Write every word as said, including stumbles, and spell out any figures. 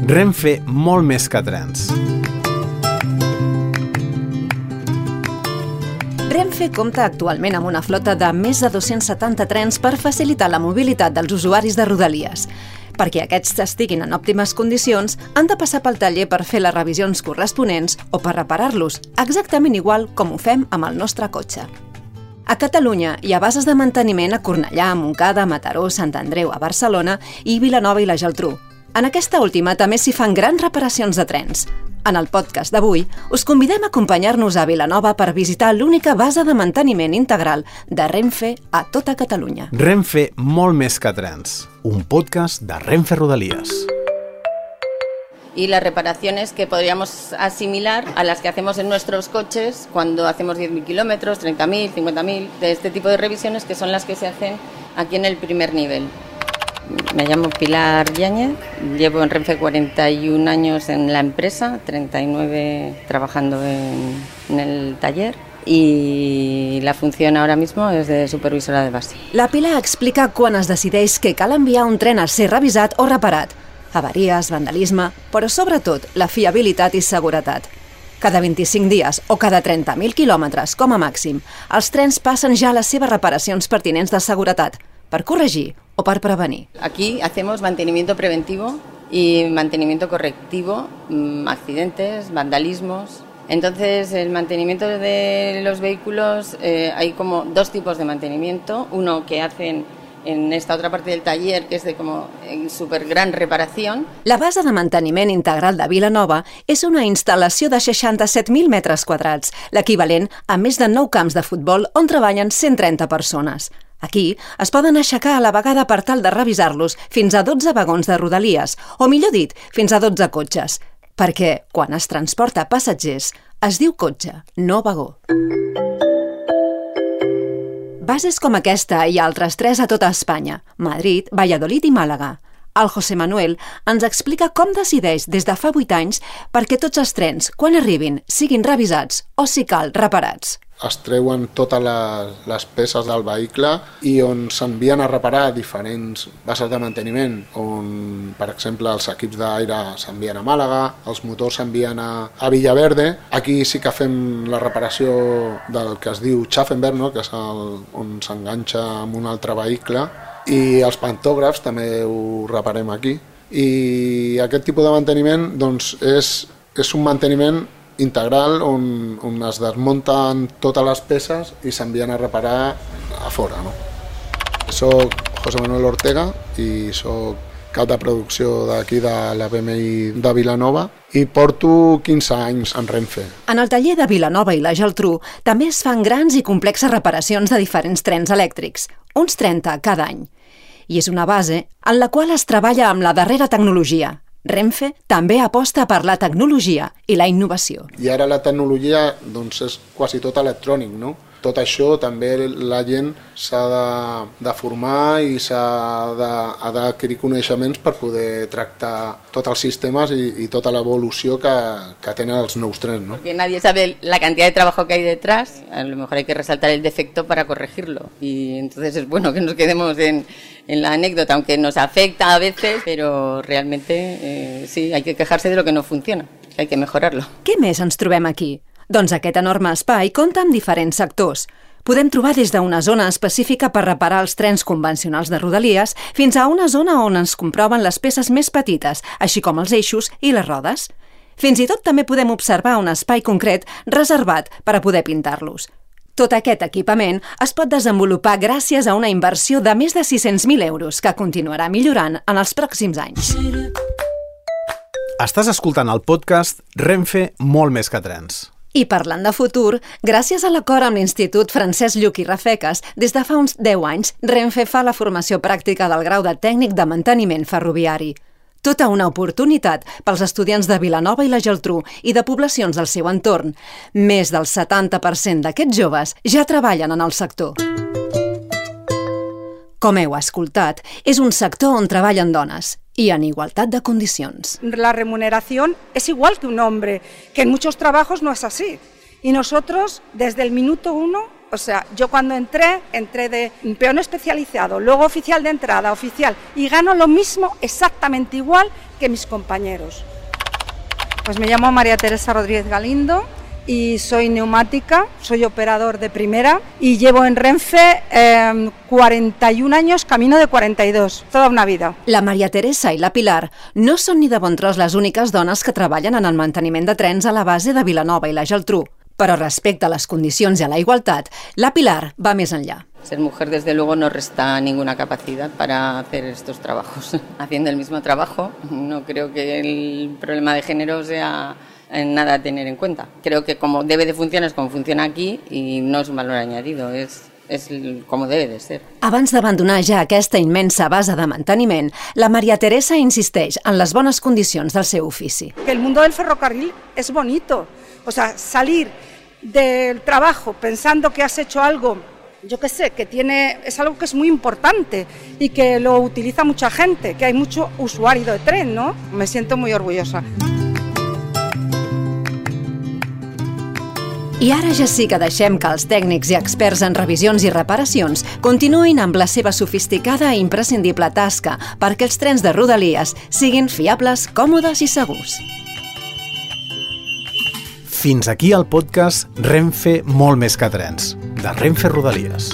Renfe, molt més que trens. Renfe compta actualment amb una flota de més de dos-cents setanta trens per facilitar la mobilitat dels usuaris de Rodalies. Perquè aquests estiguin en òptimes condicions, han de passar pel taller per fer les revisions corresponents o per reparar-los, exactament igual com ho fem amb el nostre cotxe. A Catalunya hi ha bases de manteniment a Cornellà, Montcada, Mataró, Sant Andreu, a Barcelona i Vilanova i la Geltrú. En aquesta última també s'hi fan grans reparacions de trens. En el podcast d'avui us convidem a acompanyar-nos a Vilanova per visitar l'única base de manteniment integral de Renfe a tota Catalunya. Renfe, molt més que trens. Un podcast de Renfe Rodalies. Y las reparaciones que podríamos asimilar a las que hacemos en nuestros coches cuando hacemos diez mil kilómetros, treinta mil, cincuenta mil, de este tipo de revisiones que son las que se hacen aquí en el primer nivel. Me llamo Pilar Yáñez, llevo en Renfe cuarenta y un años en la empresa, treinta y nueve trabajando en, en el taller y la función ahora mismo es de supervisora de base. La Pilar explica quan es decideix que cal enviar un tren a ser revisat o reparat. Avaries, vandalisme, però sobretot la fiabilitat i seguretat. Cada vint-i-cinc dies o cada trenta mil quilòmetres, com a màxim, els trens passen ja les seves reparacions pertinents de seguretat, per corregir o per prevenir. Aquí hacemos mantenimiento preventivo y mantenimiento correctivo, accidentes, vandalismos. Entonces, el mantenimiento de los vehículos, eh, hay como dos tipos de mantenimiento. Uno que hacen en esta otra parte del taller, que es de como super gran reparación. La base de manteniment integral de Vilanova és una instal·lació de seixanta-set mil metres quadrats, l'equivalent a més de nou camps de futbol on treballen cent trenta persones. Aquí es poden aixecar a la vegada per tal de revisar-los fins a dotze vagons de Rodalies, o millor dit, fins a dotze cotxes, perquè quan es transporta passatgers es diu cotxe, no vagó. Bases com aquesta i altres tres a tota Espanya, Madrid, Valladolid i Màlaga. El José Manuel ens explica com decideix des de fa vuit anys perquè tots els trens, quan arribin, siguin revisats o, si cal, reparats. Es treuen totes les, les peces del vehicle i on s'envien a reparar diferents bases de manteniment, on, per exemple, els equips d'aire s'envien a Màlaga, els motors s'envien a, a Villaverde. Aquí sí que fem la reparació del que es diu Schaffenberg, no? Que és el, on s'enganxa amb un altre vehicle, i els pantògrafs també ho reparem aquí. I aquest tipus de manteniment doncs, és, és un manteniment integral on, on es desmunten totes les peces i s'envien a reparar a fora. No? Soc José Manuel Ortega i soc cap de producció d'aquí de la B M I de Vilanova i porto quinze anys en Renfe. En el taller de Vilanova i la Geltrú també es fan grans i complexes reparacions de diferents trens elèctrics, uns trenta cada any. I és una base en la qual es treballa amb la darrera tecnologia. Renfe també aposta per la tecnologia i la innovació. I ara la tecnologia doncs, és quasi tot electrònic, no? Tot això també la gent s'ha de, de formar i s'ha d'adquirir coneixements per poder tractar tots els sistemes i, i tota l'evolució que, que tenen els nous trens, ¿no? Porque nadie sabe la cantidad de trabajo que hay detrás, a lo mejor hay que resaltar el defecto para corregirlo y entonces es bueno que nos quedemos en, en la anécdota, aunque nos afecta a veces, pero realmente eh, sí, hay que quejarse de lo que no funciona, hay que mejorarlo. Què més ens trobem aquí? Doncs aquest enorme espai compta amb diferents sectors. Podem trobar des d'una zona específica per reparar els trens convencionals de Rodalies fins a una zona on ens comproven les peces més petites, així com els eixos i les rodes. Fins i tot també podem observar un espai concret reservat per a poder pintar-los. Tot aquest equipament es pot desenvolupar gràcies a una inversió de més de sis-cents mil euros que continuarà millorant en els pròxims anys. Estàs escoltant el podcast Renfe, molt més que trens. I parlant de futur, gràcies a l'acord amb l'Institut Francesc Lluch i Rafecas, des de fa uns deu anys, Renfe fa la formació pràctica del grau de tècnic de manteniment ferroviari. Tota una oportunitat pels estudiants de Vilanova i la Geltrú i de poblacions del seu entorn. Més del setanta per cent d'aquests joves ja treballen en el sector. Com heu escoltat, és un sector on treballen dones y en igualdad de condiciones. La remuneración es igual que un hombre, que en muchos trabajos no es así. Y nosotros, desde el minuto uno, O sea, yo cuando entré, entré de peón especializado, luego oficial de entrada, oficial, y gano lo mismo, exactamente igual que mis compañeros. Pues me llamo María Teresa Rodríguez Galindo y soy neumática, soy operador de primera y llevo en Renfe eh, cuarenta y un años, camino de cuarenta y dos, toda una vida. La Maria Teresa i la Pilar no són ni de bon tros les úniques dones que treballen en el manteniment de trens a la base de Vilanova i la Geltrú. Però respecte a les condicions i a la igualtat, la Pilar va més enllà. Ser mujer, desde luego, no resta ninguna capacidad para hacer estos trabajos. Haciendo el mismo trabajo, no creo que el problema de género sea nada a tener en cuenta. Creo que como debe de funcionar es como funciona aquí y no es un valor añadido, es, es como debe de ser. Abans d'abandonar ja aquesta immensa base de manteniment, la Maria Teresa insisteix en les bones condicions del seu ofici. Que el mundo del ferrocarril es bonito, o sea, salir del trabajo pensando que has hecho algo, yo qué sé, que tiene, es algo que es muy importante y que lo utiliza mucha gente, que hay mucho usuario de tren, ¿no? Me siento muy orgullosa. I ara ja sí que deixem que els tècnics i experts en revisions i reparacions continuïn amb la seva sofisticada i imprescindible tasca perquè els trens de Rodalies siguin fiables, còmodes i segurs. Fins aquí el podcast Renfe molt més que trens, de Renfe Rodalies.